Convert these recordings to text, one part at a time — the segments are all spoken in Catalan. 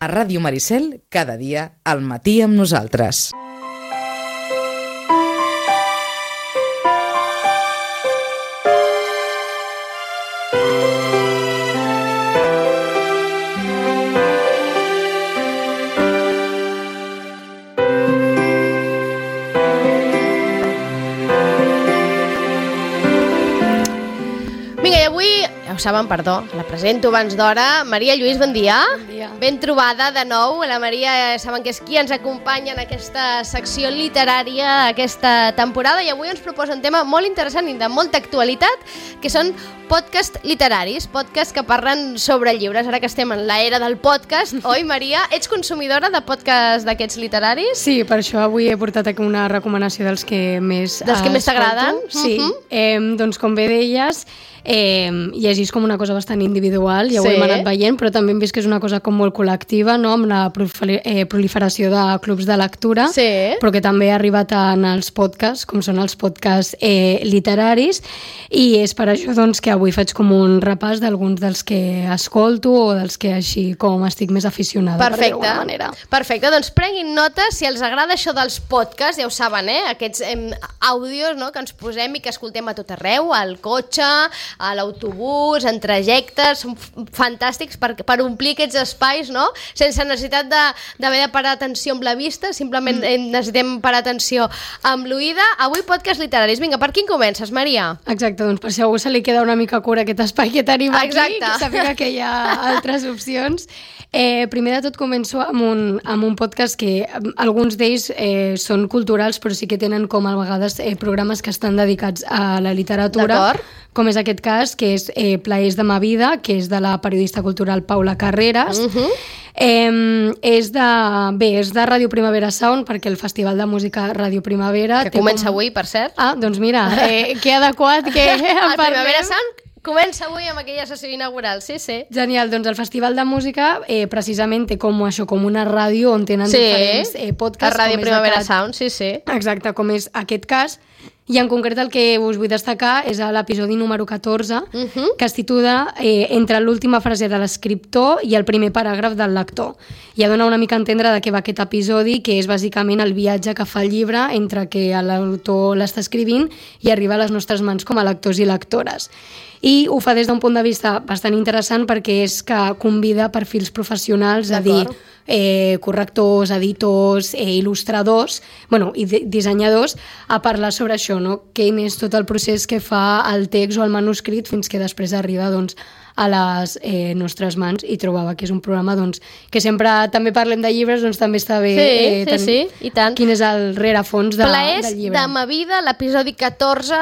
A Ràdio Maricel, cada dia, al matí amb nosaltres. Saben, perdó, la presento abans d'hora. Maria Lluís, bon dia. Bon dia. Ben trobada de nou. La Maria, saben que és qui ens acompanya en aquesta secció literària aquesta temporada, i avui ens proposa un tema molt interessant i de molta actualitat, que són podcasts literaris, podcasts que parlen sobre llibres. Ara que estem en l'era del podcast, oi, Maria? Ets consumidora de podcasts d'aquests literaris? Sí, per això avui he portat aquí una recomanació dels que més t'agraden? Sí, doncs com bé deies, llegis com una cosa bastant individual, ja ho hem anat veient, però també hem vist que és una cosa com molt col·lectiva, no? Amb la proliferació de clubs de lectura, però que també ha arribat en els podcasts, com són els podcasts literaris, i és per això doncs, que avui faig com un repàs d'alguns dels que escolto o dels que així com estic més aficionada, per dir d'alguna manera. Perfecte, doncs prenguin nota, si els agrada això dels podcasts, ja ho saben, aquests àudios, no?, que ens posem i que escoltem a tot arreu, al cotxe, a l'autobús, en trajectes, són fantàstics per omplir aquests espais, no?, sense necessitat d'haver de parar atenció amb la vista, simplement necessitem parar atenció amb l'oïda. Avui podcast literaris. Vinga, per quin comences, Maria? Exacte, doncs per si a algú se li queda una mica cura aquest espai que tenim aquí, que sàpiga que hi ha altres opcions. Primer de tot començo amb un podcast que alguns d'ells són culturals, però sí que tenen com a vegades programes que estan dedicats a la literatura, com és aquest cas, que és Plaers de ma vida, que és de la periodista cultural Paula Carreras. És de Ràdio Primavera Sound, perquè el Festival de Música Ràdio Primavera... Que comença avui, per cert. Ah, doncs mira, que adequat que en parlem. El Primavera Sound comença avui amb aquella sessió inaugural, sí. Genial, doncs el Festival de Música precisament té com això, com una ràdio on tenen diferents podcasts. La Ràdio Primavera Sound, sí. Exacte, com és aquest cas. I en concret el que us vull destacar és l'episodi número 14, que es titula Entre l'última frase de l'escriptor i el primer paràgraf del lector. Ja dona una mica a entendre de què va aquest episodi, que és bàsicament el viatge que fa el llibre entre que l'autor l'està escrivint i arriba a les nostres mans com a lectors i lectores. I ho fa des d'un punt de vista bastant interessant perquè és que convida perfils professionals, a dir, correctors, editors, il·lustradors, i dissenyadors, a parlar sobre això, no? Quin és tot el procés que fa el text o el manuscrit fins que després arriba a les nostres mans, i trobava que és un programa que sempre també parlem de llibres, també està bé i tant. Quin és el rerefons del llibre. Plaers de ma vida, l'episodi 14,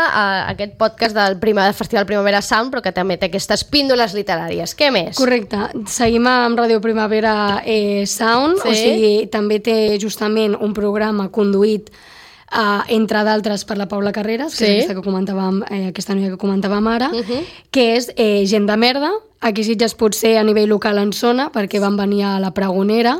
aquest podcast del Festival Primavera Sound, però que també té aquestes píndoles literàries. Què més? Correcte. Seguim amb Ràdio Primavera Sound, o sigui, també té justament un programa conduït entre d'altres per la Paula Carreras, que és aquesta noia que comentàvem ara, que és Gent de merda. Aquí Sitges potser a nivell local en sona, perquè van venir a la Pregonera.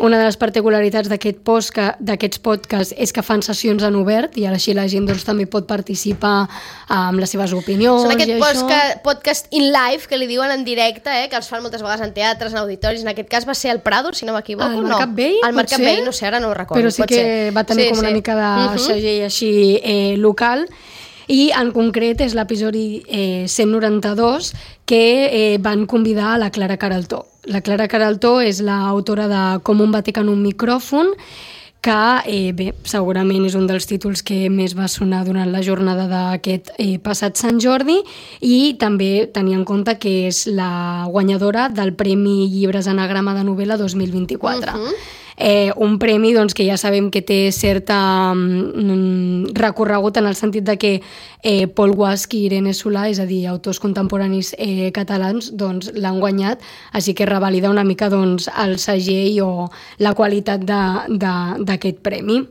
Una de les particularitats d'aquests podcasts és que fan sessions en obert, i així la gent també pot participar amb les seves opinions. Són aquest podcast in live, que li diuen en directe, que els fan moltes vegades en teatres, en auditoris. En aquest cas va ser al Prado, si no m'equivoco. Al Mercat Vell? Al Mercat Vell, no sé, ara no ho recordo. Però sí que va tenir com una mica de segell així local. I en concret és l'episodi 192 que van convidar a la Clara Queraltó. La Clara Queraltó és l'autora de Com un Vaticà en un micròfon, que segurament és un dels títols que més va sonar durant la jornada d'aquest passat Sant Jordi, i també tenir en compte que és la guanyadora del Premi Llibres Anagrama de Novel·la 2024. Un premi que ja sabem que té certa recorregut en el sentit de que Pol Guasch i Irene Solà, és a dir, autors contemporanis catalans, l'han guanyat, així que revalida una mica el segell o la qualitat d'aquest premi.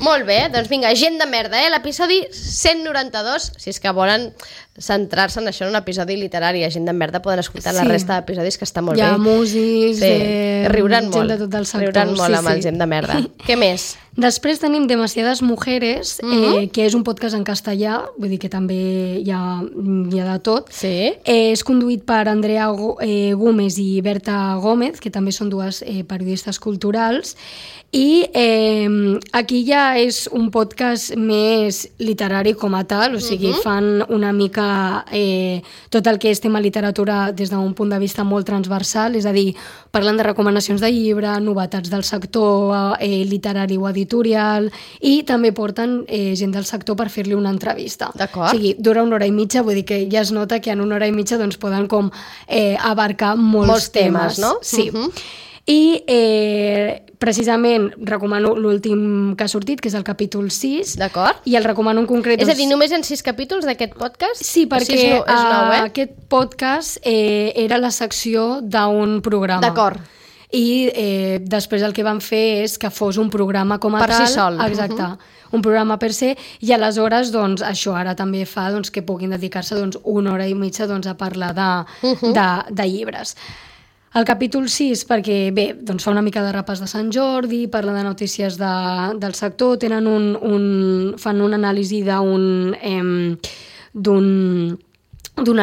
Molt bé, doncs vinga, Gent de merda, l'episodi 192, si és que volen centrar-se en això, en un episodi literari, Gent de merda, poden escoltar la resta d'episodis, que està molt bé. Hi ha músics, riuran gent de tot el sector. Riuran molt amb el Gent de merda. Què més? Després tenim Demasiadas Mujeres, que és un podcast en castellà, vull dir que també hi ha de tot. Sí. És conduït per Andrea Gómez i Berta Gómez, que també són dues periodistes culturals, i aquí ja és un podcast més literari com a tal, o sigui, fan una mica tot el que és tema literatura des d'un punt de vista molt transversal, és a dir, parlen de recomanacions de llibre, novetats del sector literari o editorial, i també porten gent del sector per fer-li una entrevista. D'acord. O sigui, dura 1 hora i mitja, vull dir que ja es nota que en 1 hora i mitja doncs, poden com abarcar molts temes, no? Sí. I precisament recomano l'últim que ha sortit, que és el capítol 6. D'acord. I el recomano en concret... És a dir, només en 6 capítols d'aquest podcast? Sí, perquè és nou, aquest podcast era la secció d'un programa. D'acord. I després el que van fer és que fos un programa com a per tal. Si sol. Exacte. Un programa per se, i aleshores doncs, això ara també fa doncs, que puguin dedicar-se doncs, 1 hora i mitja doncs, a parlar de llibres. El capítol 6, perquè bé, doncs fa una mica de repàs de Sant Jordi, parla de notícies del sector, tenen fan una anàlisi d'un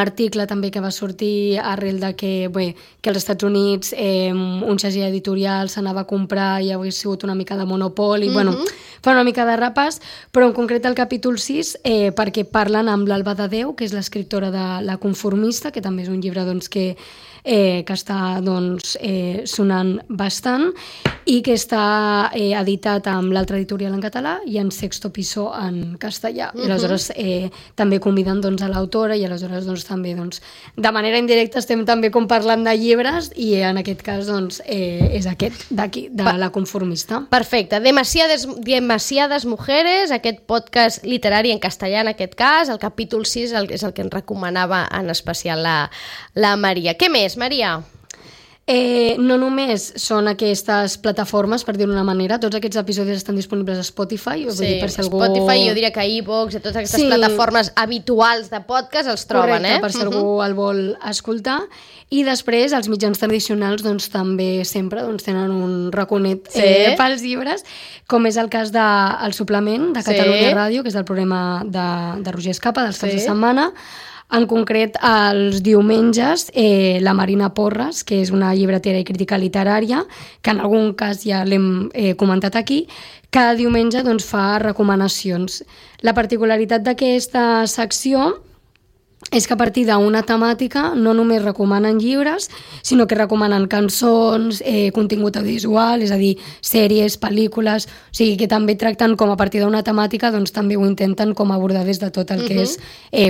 article també que va sortir arrel de que als Estats Units un segell editorial s'anava a comprar i hauria sigut una mica de monopoli, fa una mica de repàs, però en concret el capítol 6 perquè parlen amb l'Alba de Déu, que és l'escriptora de La Conformista, que també és un llibre doncs, que està doncs, sonant bastant i que està editat amb l'altra editorial en català i en Sexto Piso en castellà. I aleshores també conviden doncs, a l'autora i aleshores doncs, també doncs, de manera indirecta estem també com parlant de llibres i en aquest cas doncs, és aquest d'aquí, de La Conformista. Perfecte. Demasiadas Mujeres, aquest podcast literari en castellà en aquest cas, el capítol 6 és el que ens recomanava en especial la Maria. Què més, Maria? No només són aquestes plataformes, per dir-ho d'una manera, tots aquests episodis estan disponibles a Spotify. Sí, dir, per si algú... Spotify, jo diria que iVoox, totes aquestes plataformes habituals de podcast els troben. Correcte, per si algú el vol escoltar. I després els mitjans tradicionals doncs, també sempre doncs, tenen un raconet pels llibres, com és el cas del Suplement de Catalunya Ràdio, que és el programa de Roger Escapa dels caps de setmana. En concret, els diumenges, la Marina Porres, que és una llibretera i crítica literària, que en algun cas ja l'hem comentat aquí, cada diumenge doncs, fa recomanacions. La particularitat d'aquesta secció és que a partir d'una temàtica no només recomanen llibres, sinó que recomanen cançons, contingut audiovisual, és a dir, sèries, pel·lícules, o sigui que també tracten com a partir d'una temàtica, doncs també ho intenten com abordar des de tot el que és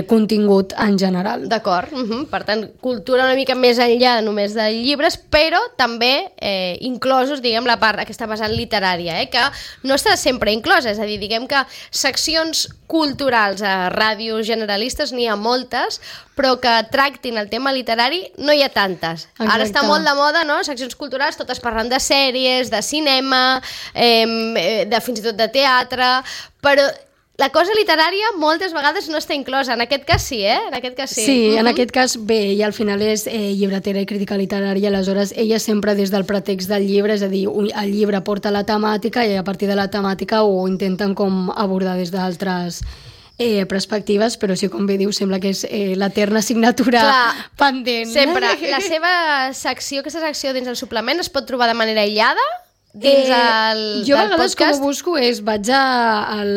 contingut en general. D'acord, per tant, cultura una mica més enllà només de llibres, però també inclosos, diguem, la part aquesta vessant literària, que no està sempre inclosa, és a dir, diguem que seccions culturals a ràdios generalistes n'hi ha moltes, però que tractin el tema literari no hi ha tantes. Exacte. Ara està molt de moda, no? Seccions culturals, totes parlant de sèries, de cinema, fins i tot de teatre, però la cosa literària moltes vegades no està inclosa. En aquest cas sí, En aquest cas sí. Sí, en aquest cas bé, i al final és llibretera i crítica literària, aleshores ella sempre des del pretext del llibre, és a dir, el llibre porta la temàtica i a partir de la temàtica ho intenten com abordar des d'altres perspectives, però sí, com bé diu, sembla que és l'eterna assignatura pendent. Sempre. La seva secció, aquesta secció dins el suplement es pot trobar de manera aïllada? Dins jo a vegades com ho busco vaig al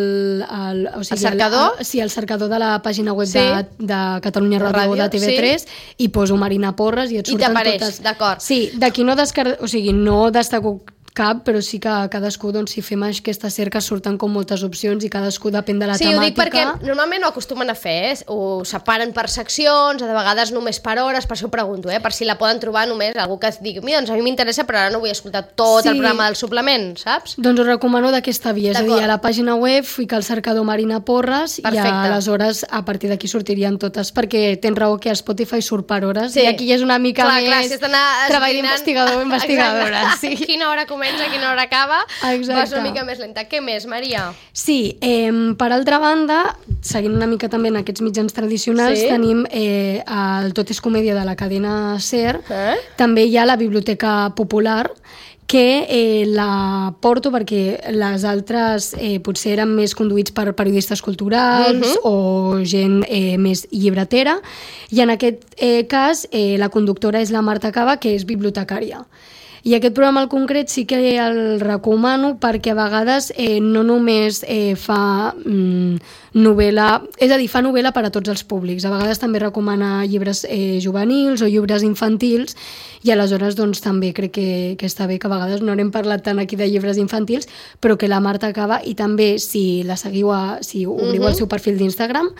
cercador? Al cercador de la pàgina web de Catalunya Ràdio de TV3 i poso Marina Porres i et surten totes. D'acord. Sí, d'aquí no no destaco cap, però sí que cadascú, doncs, si fem aquesta cerca surten com moltes opcions i cadascú depèn de la temàtica. Sí, ho dic perquè normalment ho acostumen a fer, ho separen per seccions, de vegades només per hores, per això ho pregunto, per si la poden trobar només algú que digui, mira, doncs a mi m'interessa, però ara no vull escoltar tot el programa del suplement, saps? Doncs ho recomano d'aquesta via, és a dir, a la pàgina web ficar el cercador Marina Porres i aleshores a partir d'aquí sortirien totes, perquè tens raó que a Spotify surt per hores i aquí ja és una mica més treball d'investigador o investigadora. Quina hora comença? comença, a quina hora acaba, Exacte. vas una mica més lenta. Què més, Maria? Sí, per altra banda, seguint una mica també en aquests mitjans tradicionals, Sí. tenim el Tot és comèdia de la cadena SER, també hi ha la Biblioteca Popular, que la porto perquè les altres potser eren més conduïts per periodistes culturals o gent més llibretera, i en aquest cas la conductora és la Marta Cava, que és bibliotecària. I aquest programa al concret sí que el recomano perquè a vegades no només fa novel·la, és a dir, fa novel·la per a tots els públics. A vegades també recomana llibres juvenils o llibres infantils, i aleshores doncs, també crec que està bé, que a vegades no n'hem parlat tant aquí de llibres infantils, però que la Marta Cava, i també si la seguiu, si obriu el seu perfil d'Instagram,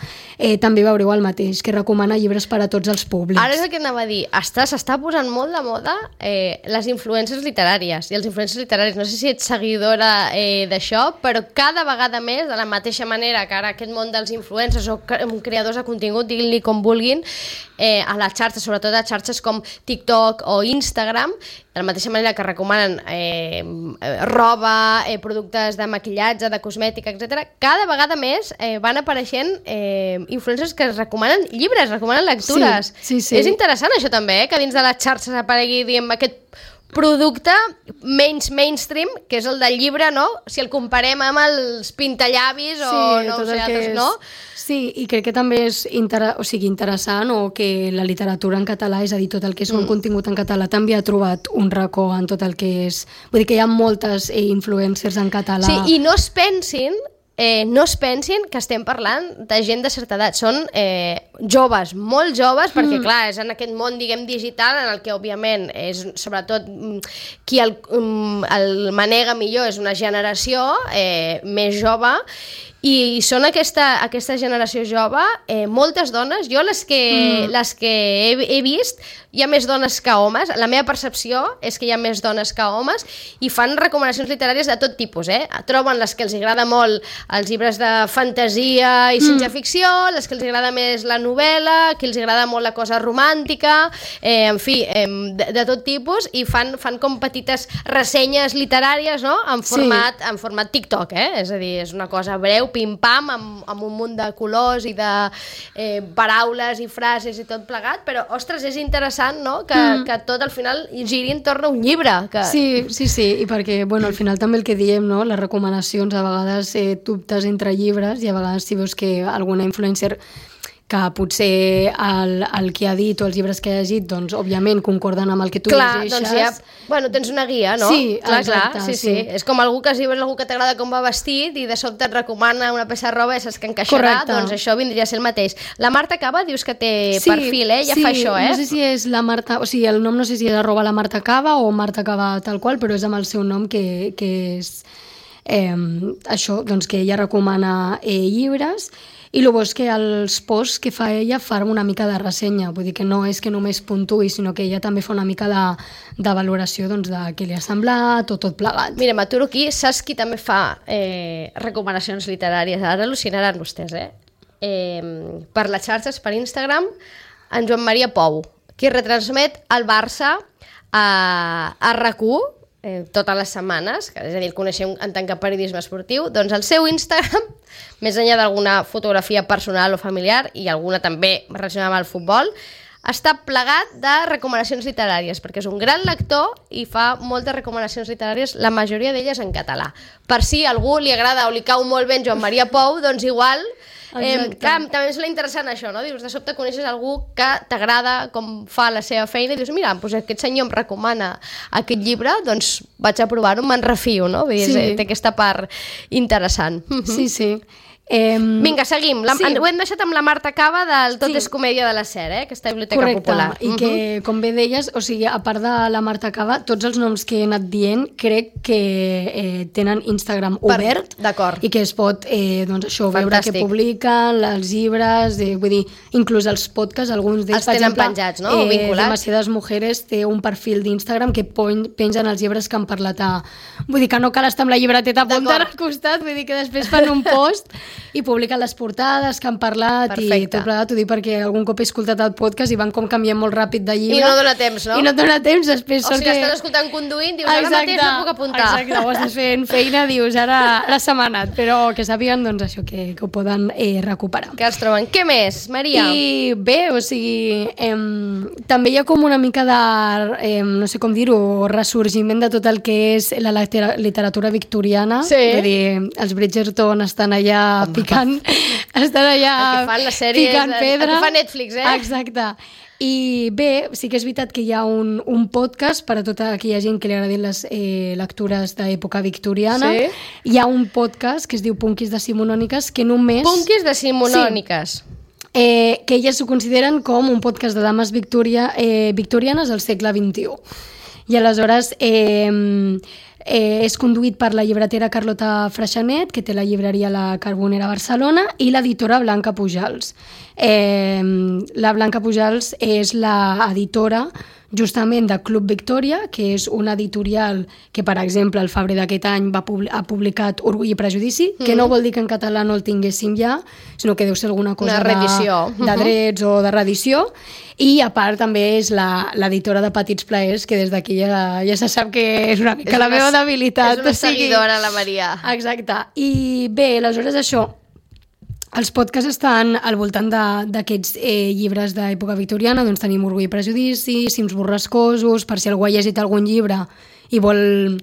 també veureu el mateix, que recomana llibres per a tots els públics. Ara és el que anava a dir, s'està posant molt de moda les influències literàries, i els influències literaris, no sé si ets seguidora d'això, però cada vegada més, de la mateixa manera que ara aquest món dels influencers o creadors de contingut, diguin-li com vulguin, a les xarxes, sobretot a xarxes com TikTok o Instagram, de la mateixa manera que recomanen roba, productes de maquillatge, de cosmètica, etc. Cada vegada més van apareixent influencers que recomanen llibres, recomanen lectures. Sí. És interessant això també, que dins de les xarxes aparegui, diguem, aquest producte menys mainstream, que és el del llibre, no? Si el comparem amb els pintallavis o no sé, altres, no? Sí, i crec que també és interessant o que la literatura en català, és a dir, tot el que és un contingut en català, també ha trobat un racó en tot el que és... Vull dir que hi ha moltes influencers en català. Sí, i no es pensin que estem parlant de gent de certa edat, són joves, molt joves, perquè clar, és en aquest món, diguem, digital, en el que òbviament és, sobretot, qui el manega millor és una generació més jove, i són aquesta generació jove, moltes dones, jo les que he vist, hi ha més dones que homes, la meva percepció és que hi ha més dones que homes, i fan recomanacions literàries de tot tipus, troben les que els agrada molt els llibres de fantasia i ciència-ficció, les que els agrada més la novel·la, que els agrada molt la cosa romàntica, en fi, de tot tipus, i fan com petites ressenyes literàries, no?, en format TikTok, és a dir, és una cosa breu, pim-pam, amb un munt de colors i de paraules i frases i tot plegat, però, ostres, és interessant, no?, que tot al final giri entorn a un llibre. Sí, i perquè, bueno, al final també el que diem, no?, les recomanacions, a vegades dubtes entre llibres, i a vegades si veus que alguna influencer que potser el que ha dit o els llibres que ha llegit, doncs, òbviament, concorden amb el que tu llegeixes. Doncs ja, bueno, tens una guia, no? Sí, exacte. Sí. És com si veus algú que t'agrada com va vestit i de sobte et recomana una peça de roba i saps que encaixarà, doncs això vindria a ser el mateix. La Marta Cava, dius que té perfil, ja fa això, no sé si és la Marta, o sigui, el nom no sé si és @ la Marta Cava o Marta Cava tal qual, però és amb el seu nom que és això, doncs que ella recomana llibres. I el bo és que els posts que fa ella fan una mica de ressenya, vull dir que no és que només puntuï, sinó que ella també fa una mica de valoració, doncs, de què li ha semblat o tot plegat. Mira, m'aturo aquí, saps qui també fa recomanacions literàries? Ara al·lucinaran vostès, per les xarxes, per Instagram, en Joan Maria Pou, qui retransmet el Barça a RAC1 totes les setmanes, és a dir, el coneixem en tant que periodisme esportiu, doncs el seu Instagram, més enllà d'alguna fotografia personal o familiar, i alguna també relacionada amb el futbol, està plegat de recomanacions literàries, perquè és un gran lector i fa moltes recomanacions literàries, la majoria d'elles en català. Per si a algú li agrada o li cau molt bé en Joan Maria Pou, doncs igual... també és interessant això, no? Dius, de sobte coneixes algú que t'agrada com fa la seva feina i dius, mira, doncs aquest senyor em recomana aquest llibre, doncs vaig a provar-ho, me'n refio, no? Vull dir, té aquesta part interessant. Sí. Vinga, seguim. Ho hem deixat amb la Marta Cava del Tot és comèdia de la SER, aquesta Biblioteca Popular. Correcte, i que, com bé deies, o sigui, a part de la Marta Cava, tots els noms que he anat dient crec que tenen Instagram obert, i que es pot, doncs això, veure què publiquen, els llibres, vull dir, inclús els podcasts, alguns d'ells, per exemple, penjats, no? Demasiades Mujeres té un perfil d'Instagram que pengen els llibres que han parlat vull dir que no cal estar amb la llibreteta apuntant al costat, vull dir que després fan un post i publiquen les portades que han parlat. Perfecte. I tot plegat, ho dic perquè algun cop he escoltat el podcast i van com canviant molt ràpid de llibre. I no dona temps, no? I no et dona temps, després O sigui, estàs escoltant conduint, dius, ara mateix no puc apuntar. Exacte, ho estàs fent feina, dius, ara se m'ha anat, però que sàpiguen, doncs, això, que ho poden recuperar. Que els troben. Què més, Maria? I bé, o sigui, també hi ha com una mica de, no sé com dir-ho, ressorgiment de tot el que és la literatura victoriana. Sí. Vull dir, els Bridgerton estan allà picant, estan allà El que fan les sèries, picant pedra. el que fa Netflix, Exacte. I bé, sí que és veritat que hi ha un podcast per a tota aquella gent que li agradin les lectures d'època victoriana. Sí. Hi ha un podcast que es diu Punkis Decimonòniques, que només... Punkis decimonòniques. que elles ho consideren com un podcast de dames victorianes al segle XXI. I aleshores és conduït per la llibretera Carlota Freixanet, que té la llibreria La Carbonera a Barcelona, i l'editora Blanca Pujals. La Blanca Pujals és l'editora justament de Club Victòria, que és una editorial que, per exemple, al febrer d'aquest any ha publicat Orgull i Prejudici, que no vol dir que en català no el tinguéssim ja, sinó que deu ser alguna cosa de drets o de reedició. I a part també és l'editora de Petits Plaers, que des d'aquí ja se sap que és una mica la meva debilitat. És una seguidora, la Maria. Exacte. I bé, aleshores això, els podcasts estan al voltant d'aquests llibres d'època victoriana, doncs tenim Orgull i Prejudici, Cims borrascosos, per si algú ha llegit algun llibre i vol...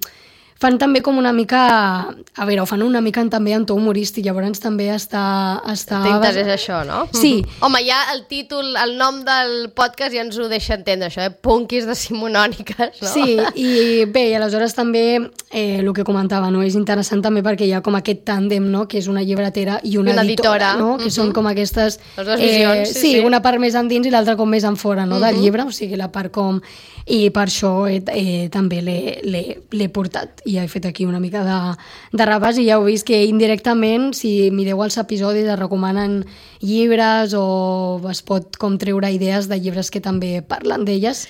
Fan també com una mica... A veure, ho fan una mica també en to humorístic, llavors també està... T'interessa això, no? Sí. Home, ja el títol, el nom del podcast ja ens ho deixa entendre, això, Punkis decimonòniques, no? Sí, i bé, i aleshores també el que comentava, no? És interessant també perquè hi ha com aquest tàndem, no? Que és una llibretera i una editora, no? Que són com aquestes... Les dues visions, sí, una part més endins i l'altra com més en fora, no? Del llibre, o sigui, la part com... I per això també l'he portat i he fet aquí una mica de repàs i ja heu vist que indirectament, si mireu els episodis, es recomanen llibres o es pot com treure idees de llibres que també parlen d'elles.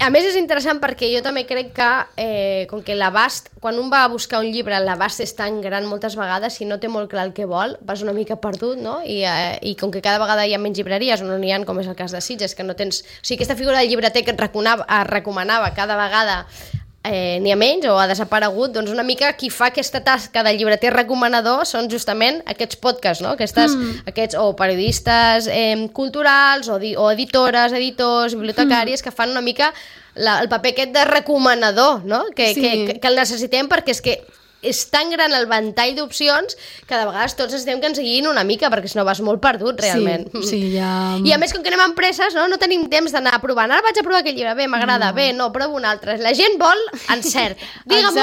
A més, és interessant perquè jo també crec que, com que l'abast, quan un va a buscar un llibre, l'abast és tan gran moltes vegades, si no té molt clar el que vol, vas una mica perdut, no? I com que cada vegada hi ha menys llibreries, on n'hi ha, com és el cas de Sitges, que no tens... O sigui, aquesta figura del llibreter que et recomanava cada vegada n'hi ha menys o ha desaparegut, doncs una mica qui fa aquesta tasca de llibreter recomanador són justament aquests podcasts, no? Aquests o periodistes culturals o editores, editors, bibliotecàries que fan una mica el paper aquest de recomanador, no? Que el necessitem perquè és que és tan gran el ventall d'opcions que de vegades tots necessitem que ens guiïn una mica perquè si no vas molt perdut realment. Sí, ja... I a més, com que anem a empreses, no tenim temps d'anar a provar. Ara vaig a provar aquest llibre, bé, m'agrada, bé, no, provo un altre. La gent vol encert. Digue'm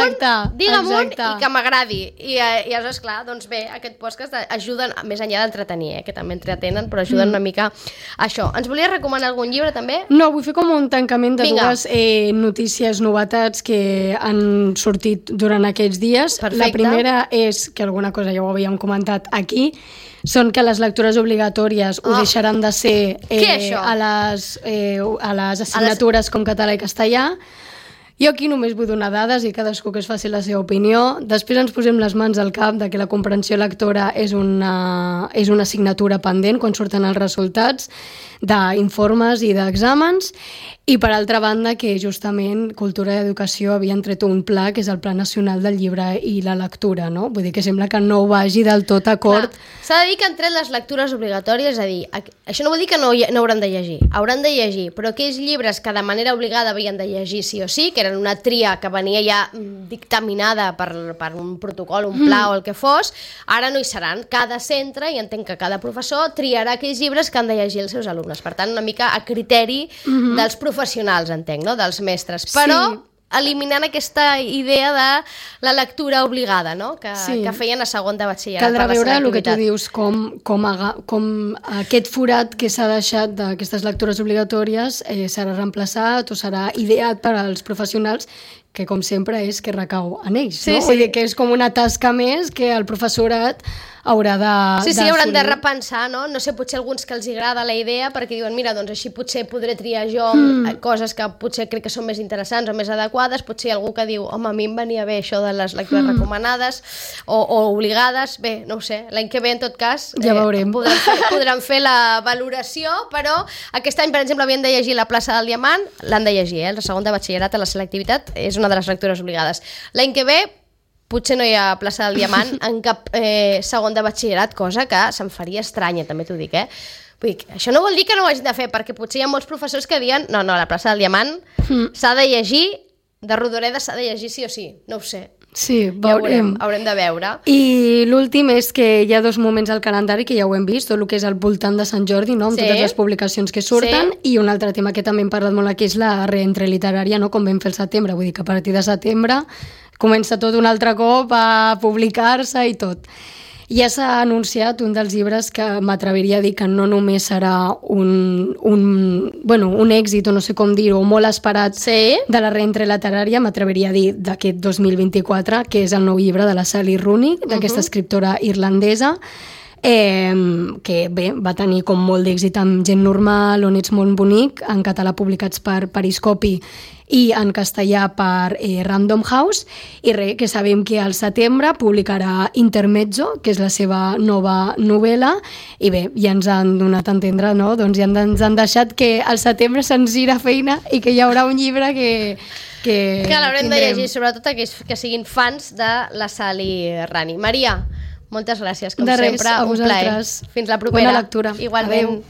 un i que m'agradi. I aleshores, clar, doncs bé, aquest podcast ajuden, més enllà d'entretenir, que també entretenen, però ajuden una mica a això. Ens volies recomanar algun llibre, també? No, vull fer com un tancament de dues notícies, novetats que han sortit durant aquests dies. Perfecte. La primera és, que alguna cosa ja ho havíem comentat aquí, són que les lectures obligatòries ho deixaran de ser a les assignatures com català i castellà. Jo aquí només vull donar dades i cadascú que es faci la seva opinió. Després ens posem les mans al cap de que la comprensió lectora és una assignatura pendent quan surten els resultats d'informes i d'exàmens. I per altra banda que justament Cultura i Educació havien tret un pla que és el Pla Nacional del Llibre i la Lectura, no? Vull dir que sembla que no vagi del tot acord. S'ha de dir que han tret les lectures obligatòries, és a dir, això no vol dir que no hauran de llegir, hauran de llegir, però aquells llibres que de manera obligada havien de llegir sí o sí, que eren una tria que venia ja dictaminada per un protocol, un pla o el que fos, ara no hi seran. Cada centre, i entenc que cada professor, triarà aquells llibres que han de llegir els seus alumnes. Per tant, una mica a criteri dels professionals, entenc, no? Dels mestres. Però eliminant aquesta idea de la lectura obligada, no? Que feien a segon de batxillerat. Caldrà veure el que tu dius, com aquest forat que s'ha deixat d'aquestes lectures obligatòries serà reemplaçat o serà ideat per als professionals que com sempre és que recau en ells, Sí, no? sí. Vull dir que és com una tasca més que el professorat haurà de Sí, hauran de d'assolir. repensar, no? No sé, potser alguns que els agrada la idea perquè diuen, mira, doncs així potser podré triar jo coses que potser crec que són més interessants o més adequades, potser hi ha algú que diu, home, a mi em venia bé això de les lectures recomanades o obligades, bé, no ho sé, l'any que ve en tot cas Ja veurem. podran fer la valoració, però aquest any, per exemple, havien de llegir La plaça del Diamant, l'han de llegir, el segon de batxillerat a la selectivitat és una de les lectures obligades. L'any que ve potser no hi ha plaça del Diamant en cap segon de batxillerat, cosa que se'm faria estranya, també t'ho dic, Vull dir, això no vol dir que no ho hagin de fer, perquè potser hi ha molts professors que diuen no, la plaça del Diamant s'ha de llegir, de Rodoreda s'ha de llegir sí o sí, no ho sé. Sí, Ja veurem. haurem de veure. I l'últim és que hi ha 2 moments al calendari que ja ho hem vist, tot el que és al voltant de Sant Jordi, no? Amb Sí. totes les publicacions que surten, i un altre tema que també hem parlat molt aquí és la reentre literària, no? Com vam fer el setembre, vull dir que a partir de setembre comença tot un altre cop a publicar-se i tot. Ja s'ha anunciat un dels llibres que m'atreviria a dir que no només serà un èxit, o no sé com dir-ho, molt esperat Sí. de la reentre literària, m'atreviria a dir d'aquest 2024, que és el nou llibre de la Sally Rooney, d'aquesta escriptora irlandesa, que bé, va tenir com molt d'èxit amb Gent normal, On ets molt bonic, en català publicats per Periscopi i en castellà per Random House, i res, que sabem que al setembre publicarà Intermezzo, que és la seva nova novel·la, i bé, ja ens han donat a entendre, no? Doncs ja ens han deixat que al setembre se'ns irà feina i que hi haurà un llibre que l'haurem de tindrem. llegir, sobretot aquells que siguin fans de la Sally Rooney. Maria, moltes gràcies, com De res, sempre, a un plaer. vosaltres. Fins la propera. Bona lectura. Igualment. Adéu.